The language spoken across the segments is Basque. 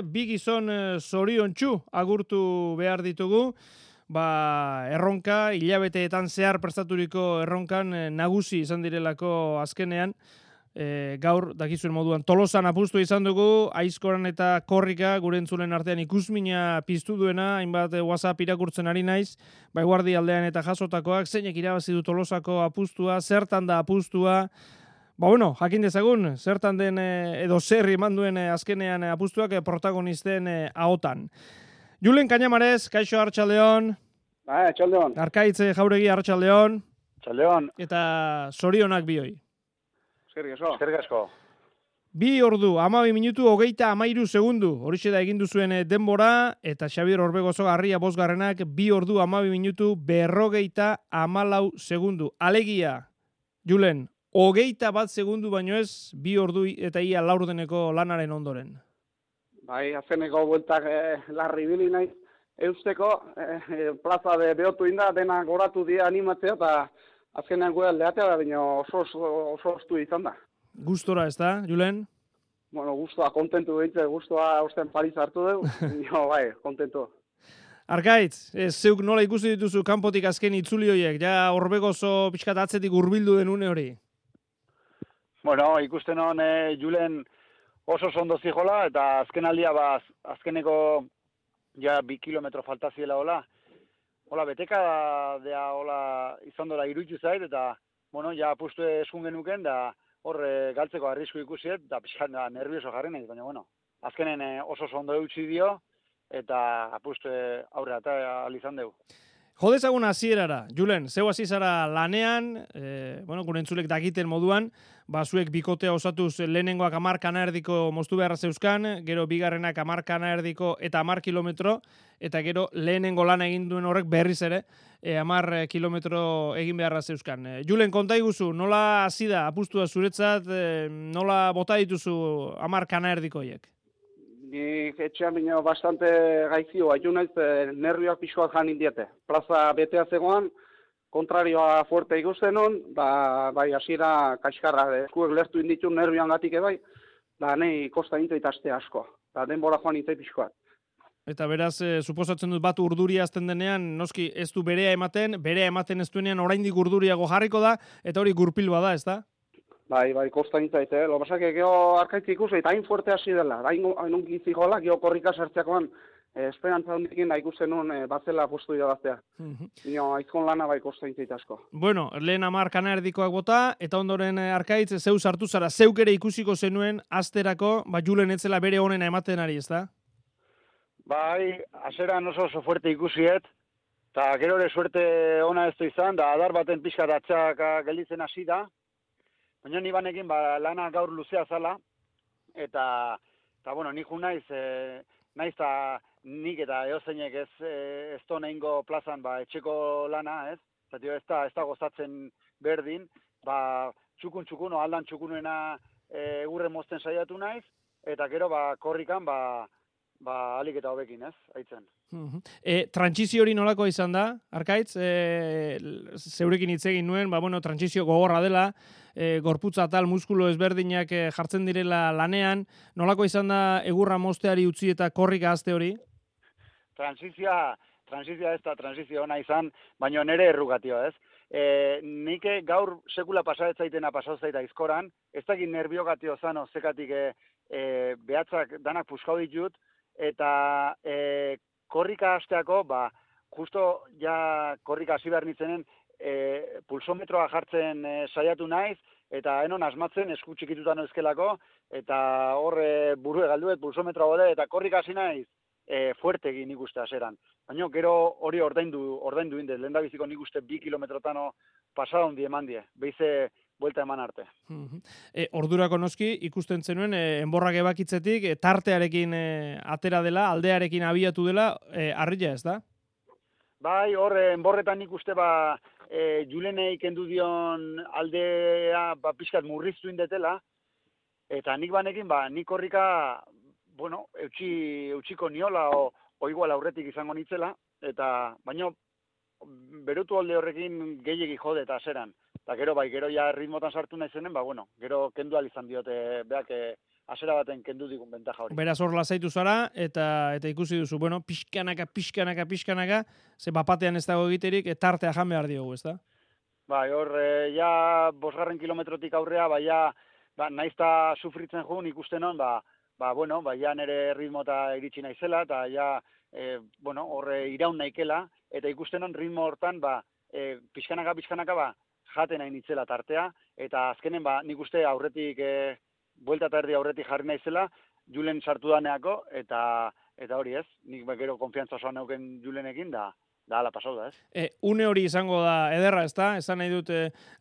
Bi gizon zoriontsu agurtu behar ditugu, erronka, hilabeteetan zehar prestaturiko erronkan nagusi izan direlako azkenean, gaur dakizuen moduan Tolosan apustu izan dugu, Aizkoran eta Korrika gure entzulen artean ikusmina piztu duena, hainbat WhatsApp irakurtzen ari naiz, Baiguardi aldean eta jasotakoak, zeinek irabazi du Tolosako apustua, zertan da apustua. Jakin dezagun, zertan den edo zer eman duen azkenean apustuak protagonisten ahotan. Julen Cañamares, kaixo Arratsaldeon. Arratsaldeon. Arkaitz Jauregi Arratsaldeon. Arratsaldeon. Eta zorionak bioi. Eskerrik asko. 2 ordu, 12 minutu, 33 segundu. Horixe da egin duzuen denbora, eta Xabier Orbegozo Garria bosgarrenak 2 ordu, 12 minutu, 54 segundu. Alegia, Julen, 21 segundu baino ez, 2 ordu eta ia laurdeneko lanaren ondoren. Bai, azkeneko bueltak larri bili naiz. Eusteko, plaza behotu inda, dena goratu dira animatzea, eta azkenean gure aldeatea da, baina oso ostu izan da. Gustora ez da, Julen? Gustua, kontentu behitze, gustua osten Paris hartu dugu, bai, kontentu. Arkaitz, zeuk nola ikusi dituzu kanpotik azken itzuli horiek, ja Orbegozo pixkat atzetik hurbildu den une hori? Ikusten hon Julen oso ondo zijola, eta azken aldia azkeneko ja 2 kilometro falta ziela hola beteka dea hola izan dola iruditu zait, eta ja apustu esun genuken, da hor galtzeko arrisku ikusiet, da pixkan nervioso jarri nahi, baina azkenen oso ondo eutxi dio, eta apustu aurre eta alizan dugu. Jodezagun hasierara, Julen, zeu hasi zara lanean, gure entzulek dakiten moduan, zuek bikotea osatuz lehenengoak 10 kana erdiko moztu beharra zeuzkan, gero bigarrenak 10 kana erdiko eta 10 kilometro, eta gero lehenengo lana egin duen horrek berriz ere, 10 kilometro egin beharra zeuzkan. Julen, konta iguzu, nola hasi da apustua zuretzat, nola bota dituzu 10 kana erdiko horiek? Nik etxean bine bastante gaizio, haitu naiz nervioak pixkoak janin diete. Plaza betea zegoan, kontrarioa fuerte ikusten hon, bai hasiera kaxkarra, eskuek lertu inditu nervioan gatik ebai, da nahi kosta intzait aste asko, da denbora joan intzait pixkoak. Eta beraz, suposatzen dut bat urduria azten denean, noski ez du berea ematen ez duenean oraindik urduriago jarriko da, eta hori gurpil bada, ez da? Bai, kosta intzait, Lo pasak, geho arkaitzi ikusi, eta hain fuerte hasi dela, hain ongi zigoela, geho Korrika sartzeakoan, esperantza hondikin da ikusten nun batzela apustu irabaztea. Aizkon lana bai kosta intzait asko. Lehen 10 kana erdikoak bota, eta ondoren Arkaitz, zeu sartu zara, zeuk ere ikusiko zenuen asterako, Julen etzela bere honena ematen ari, ez da? Bai, aseran oso fuerte ikusiet, eta gero ere suerte ona ez du izan, da adar baten pixka datzak gelditzen hasi da, baina ni banekin lana gaur luzea zala, eta nik naiz nik eta eozeinek ez to nehingo plazan etxeko lana, ez? Ez da gozatzen berdin, txukun, aldan txukunena egurre mozten saiatu naiz, eta gero Korrikan alik eta hobekin, ez? Aitzen. Trantsizio hori nolako izan da, Arkaitz? Zeurekin hitz egin nuen, trantsizio gogorra dela, gorputza tal muskulo ezberdinak jartzen direla lanean, nolako izan da egurra mozteari utzi eta Korrika azte hori? Transizioa ez da transizio ona izan, baina nere errugatio, ez? Nik gaur sekula pasaetzaitena pasauzait Aizkoran, ez dakit nerviogatio zano zekatik behatzak danak puskau ditut, eta Korrika hasteako, justo ja Korrika hasi behar nintzenen, pulsometroa jartzen saiatu naiz, eta enon asmatzen esku txikitutan euskelako, eta hor burue galduet pulsometroa bode, eta Korrika hasi naiz fuerte egin ikuste aseran. Baina gero hori ordaindu indez, lehen da biziko nik uste 2 kilometrotano pasada hondi eman die, behize buelta eman arte. Ordurako noski ikusten zenuen enborrak ebakitzetik tartearekin atera dela, aldearekin abiatu dela, harria ez da? Bai, hor enborretan nik uste Julenei kendu dion aldea pixkat murriztu indetela, eta nik banekin nik Korrika eutxiko niola o igual aurretik izango nitzela, eta baino berutu alde horrekin gehiegi jode eta aseran. Eta gero ja ritmotan sartu nahi zenen, gero kendu izan diote beak asera baten kendu digun bentaja hori. Beraz hor lasaitu zara, eta ikusi duzu, bueno, pixkanaka, ze bapatean ez dago egiterik, tartea jan behar diogu, ez da? Bai, hor, ja, 5 kilometrotik aurrea, ja, naizta sufritzen jun ikusten hon, ja nire ritmo eta iritsi naizela, eta ja, horre iraun naikela, eta ikusten hon ritmo hortan, pixkanaka, jaten nahi nitzela tartea, eta azkenen, nik uste aurretik, buelta eta erdi aurretik jarri naizela, Julen sartu daneako, eta hori ez, nik gero konfiantza osoan neuken Julenekin, da ala pasau da, ez? Une hori izango da ederra, ez da? Esan nahi dut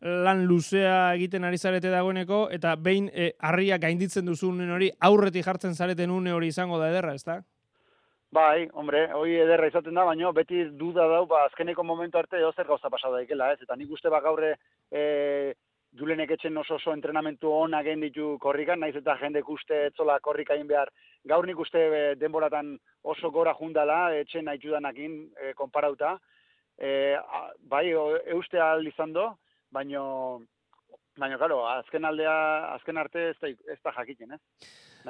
lan luzea egiten ari zarete dagoeneko, eta behin harria gainditzen duzu une hori, aurretik jartzen zareten une hori izango da ederra, ez da? Bai, hombre, hori ederra izaten da, baina beti duda dau, azkeneko momentu arte zer gauza pasau daikela, ez? Eta nik uste gaurre Julenek etxen oso entrenamentu onak egin ditu korrikan, naiz eta jendek uste etzola korrika egin behar. Gaur nik uste denboratan oso gora jundala, etxen haitudanakin konparauta. Bai, euste ahal izan do, baina, claro, azken arte ez da jakiten, ez?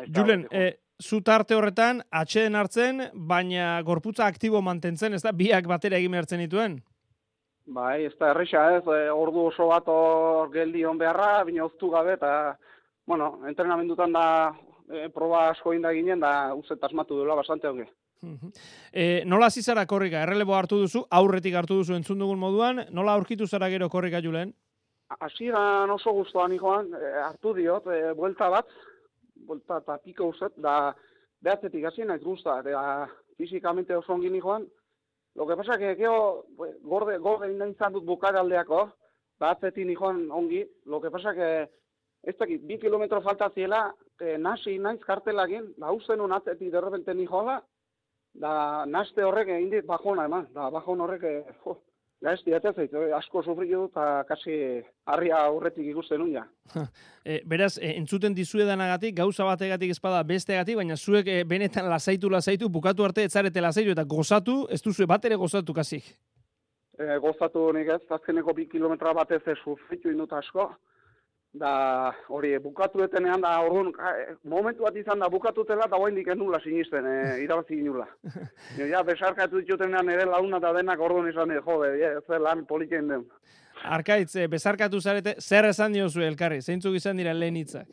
Julen, zu tarte horretan, atxeden hartzen, baina gorputza aktibo mantentzen, ez da, biak batera egin behartzen dituen? Bai, ez da erresa ez, ordu oso bat hor geldi hon beharra, bine oztu gabe, eta, bueno, entrenamendutan da proba asko inda ginen, da uzet asmatu duela bastante hongi. Nola hasi zara korrika? Errelebo hartu duzu, aurretik hartu duzu entzun dugun moduan, nola aurkitu zara gero korrika, Julen? Hasieran oso guztuan ikoan, hartu diot, buelta eta piko uzet, da behatzetik hasi naiz guzta, eta fizikamente oso ongi nikoan. Lo que pasa que gorde izan dut bukaraldeako, behatzetik nikoan ongi, lo que pasa que ez dakit, 2 kilometro falta ziela, nasi naiz kartelakin, usten un atzetik derrepente nikoa da naste horrek egin dit bajona eman, da bajon horrek, gaizti atezait, asko sufritu dut, eta kasi harria aurretik ikusten unia. Beraz, entzuten dizuedanagatik, gauza bategatik ezpada besteagatik, baina zuek benetan lasaitu, bukatu arte etzarete lasaitu, eta gozatu, ez duzue bat ere gozatu kasik. Gozatu nik ez, azkeneko 2 kilometra batez sufritu indut asko, da hori bukatu etenean, da orduan, momentu bat izan da bukatutela, eta guain diken nula sinisten, irabazi nula. Ja, besarkatu ditutenean ere launa eta denak orduan izan, jode, ez lan politien den. Arkaitz, besarkatu zarete, zer esan diozu elkarri? Zeintzuk izan dira lehen hitzak?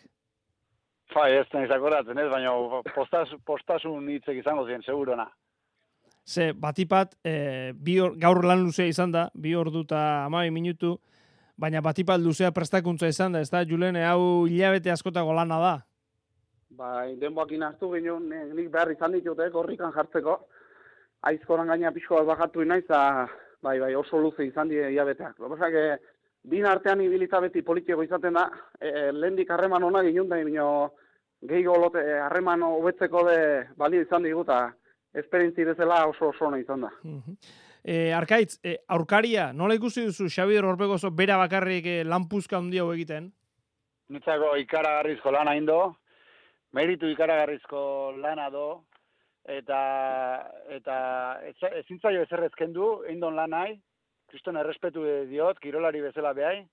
Ez nahiz akoratzen ez, baina postasun hitzek izango ziren, segurona. Ze, batipat, gaur lan luzea izan da, 2 ordu eta 12 minutu, baina batipat luzea prestakuntza izan da, ez da, Julen, hau hilabete askotako lana da? Bai, denboakin hartu ginen, nik behar izan ditute, korrikan jartzeko, aizkoran gaina pixko bat bajatu naiz, bai, oso luze izan die hilabeteak. Lopesak, bin artean ibilita beti politiko izaten da, lehendik harreman hona ginen da, gehiago lote harreman hobetzeko de balio izan diguta, esperientzi bezala oso ona izan da. Arkaitz, aurkaria, nola ikusi duzu Xabier Orbegozo bera bakarrik lanpuzka handia hau egiten? Nitzako ikaragarrizko lana indo, meritu ikaragarrizko lana do, eta ezintzaio ezerrezken du, indon lanai, kriston errespetu diot, kirolari bezala behai,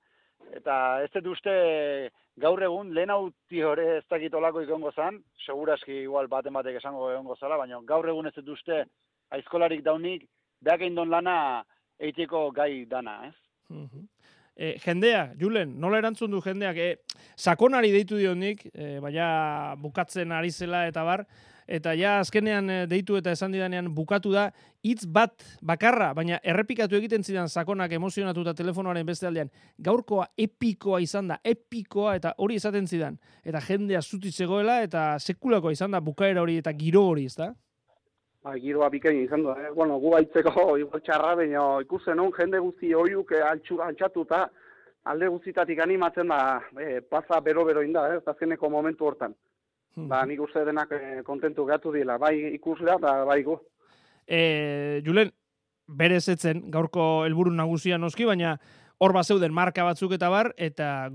eta ez dut uste gaur egun lehen hauti hori ez dakitolako ikongo zan, seguraski igual batek esango egongo zala, baina gaur egun ez dut uste aizkolarik daunik, beak indon lana eiteko gai dana, ez? Jendea, Julen, nola erantzun du jendeak? Sakonari deitu dionik, baina bukatzen ari zela eta bar, eta ja azkenean deitu eta esan didanean bukatu da, hitz bat bakarra, baina errepikatu egiten zidan sakonak emozionatuta telefonoaren beste aldean, gaurkoa epikoa izan da, epikoa, eta hori esaten zidan, eta jendea zuti zegoela, eta sekulakoa izan da bukaera hori eta giro hori, ez da? Giroa bikain izan du, bueno, gu baitzeko igual txarra, baina ikusten hon jende guzti oiuk altxatuta, alde guztitatik animatzen da, plaza bero-bero inda, azkeneko momentu hortan. Nik uste denak kontentu gatu dila, bai ikuslea eta bai gu. Julen, berez etzen, gaurko helburu nagusia noski, baina hor bazeuden marka batzuk eta bar, eta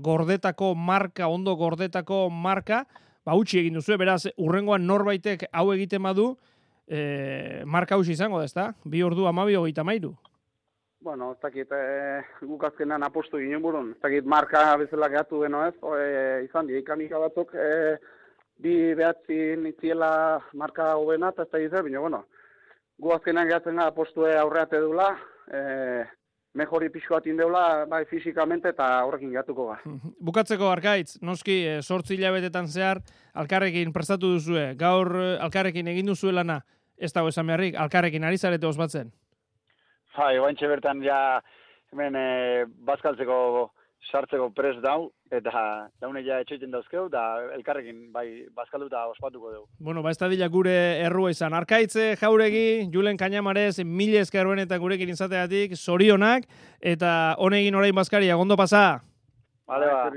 ondo gordetako marka, utzi egin duzu, beraz, urrengoan norbaitek hau egiten badu, marka hausi izango da, ezta? 2 ordu 12:33. Bueno, ez dakit, guk azkenan apostu ginen burun, ez dakit marka bezala gehatu deno ez, izan di, ikanika batzuk, 2-9 nitziela marka hobena, eta ez da izan, baina, bueno, gu azkenan gehatzen gara postue aurreate dula, mejori pixko bat indeula, bai, fizikamente eta horrekin gehatuko ga. Bukatzeko Arkaitz, noski, 8 hilabetetan zehar, alkarrekin prestatu duzue, gaur alkarrekin egin duzue lana, ez dago esan beharrik, alkarrekin ari zarete osbatzen. Oaintxe bertan ja, hemen bazkaltzeko sartzeko prest dau, eta daune ja etxoiten dauzkeu, da elkarrekin bai bazkaldu eta ospatuko dugu. Bueno, ez da dila gure errua izan. Arkaitze, Jauregi, Julen Kañamarez, mila esker benetan gurekin izateatik, zorionak, eta honegin orain bazkaria, gondo pasa! Vale, ba.